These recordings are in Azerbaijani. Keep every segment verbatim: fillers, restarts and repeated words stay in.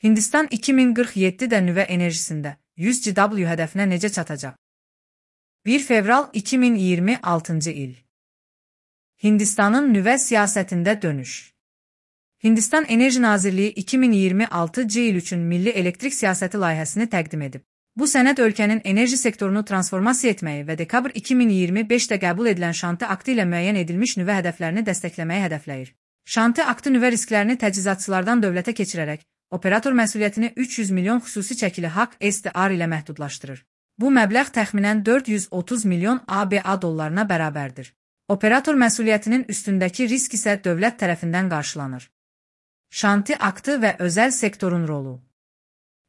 Hindistan iki min qırx yeddidə nüvə enerjisində yüz gigawatt hədəfinə necə çatacaq? bir fevral iki min iyirmi altıncı il. Hindistanın nüvə siyasətində dönüş. Hindistan Enerji Nazirliyi iki min iyirmi altıncı il üçün Milli Elektrik Siyasəti layihəsini təqdim edib. Bu sənəd ölkənin enerji sektorunu transformasiya etməyi və dekabr iki min iyirmi beşdə qəbul edilən Şanti aktı ilə müəyyən edilmiş nüvə hədəflərini dəstəkləməyi hədəfləyir. Şanti aktı nüvə risklərini təchizatçılardan dövlətə keçirərək, operator məsuliyyətini üç yüz milyon xüsusi çəkili haqq S D R ilə məhdudlaşdırır. Bu məbləğ təxminən dörd yüz otuz milyon A B A dollarına bərabərdir. Operator məsuliyyətinin üstündəki risk isə dövlət tərəfindən qarşılanır. Şanti aktı və özəl sektorun rolu.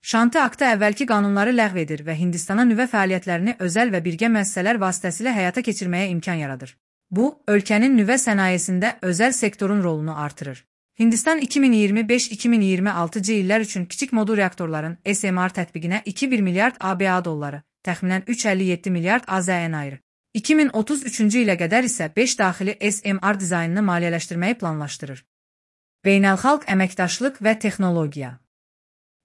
Şanti aktı əvvəlki qanunları ləğv edir və Hindistana nüvə fəaliyyətlərini özəl və birgə müəssisələr vasitəsilə həyata keçirməyə imkan yaradır. Bu, ölkənin nüvə sənayesində özəl sektorun rolunu artırır. Hindistan iki min iyirmi beş iki min iyirmi altıncı illər üçün kiçik modul reaktorların S M R tətbiqinə iki bir milyard A B A dolları, təxminən üç əlli yeddi milyard A Z N ayırır. iki min otuz üçüncü ilə qədər isə beş daxili S M R dizaynını maliyyələşdirməyi planlaşdırır. Beynəlxalq əməkdaşlıq və texnologiya.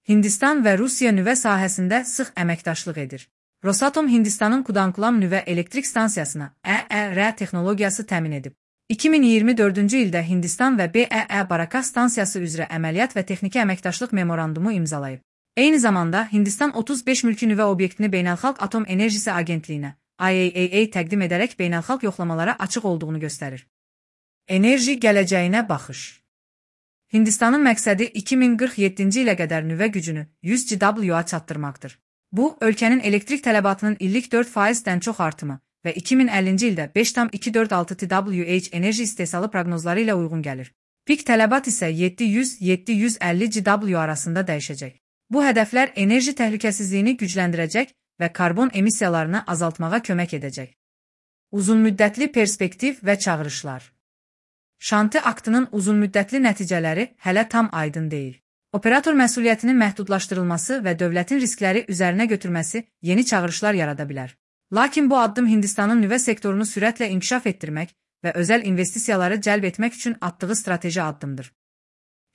Hindistan və Rusiya nüvə sahəsində sıx əməkdaşlıq edir. Rosatom Hindistanın Kudankulam nüvə elektrik stansiyasına E E R texnologiyası təmin edib. iki min iyirmi dördüncü ildə Hindistan və B E E Barakas stansiyası üzrə əməliyyat və texniki əməkdaşlıq memorandumu imzalayıb. Eyni zamanda Hindistan otuz beş mülki nüvə obyektini Beynəlxalq Atom Enerjisi Agentliyinə I A E A təqdim edərək beynəlxalq yoxlamalara açıq olduğunu göstərir. Enerji gələcəyinə baxış. Hindistanın məqsədi iki min qırx yeddinci ilə qədər nüvə gücünü yüz gigawatt çatdırmaqdır. Bu, ölkənin elektrik tələbatının illik dörd faizdən çox artımı və iki min əllinci ildə beş tam iki dörd altı tevatt enerji istehsalı proqnozları ilə uyğun gəlir. Pik tələbat isə yeddi yüz - yeddi yüz əlli gigawatt arasında dəyişəcək. Bu hədəflər enerji təhlükəsizliyini gücləndirəcək və karbon emissiyalarını azaltmağa kömək edəcək. Uzunmüddətli perspektiv və çağırışlar. Şanti aktının uzunmüddətli nəticələri hələ tam aydın deyil. Operator məsuliyyətinin məhdudlaşdırılması və dövlətin riskləri üzərinə götürməsi yeni çağırışlar yarada bilər. Lakin bu addım Hindistanın nüvə sektorunu sürətlə inkişaf etdirmək və özəl investisiyaları cəlb etmək üçün atdığı strateji addımdır.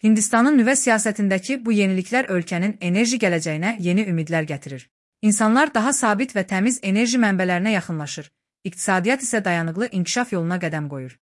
Hindistanın nüvə siyasətindəki bu yeniliklər ölkənin enerji gələcəyinə yeni ümidlər gətirir. İnsanlar daha sabit və təmiz enerji mənbələrinə yaxınlaşır, iqtisadiyyat isə dayanıqlı inkişaf yoluna qədəm qoyur.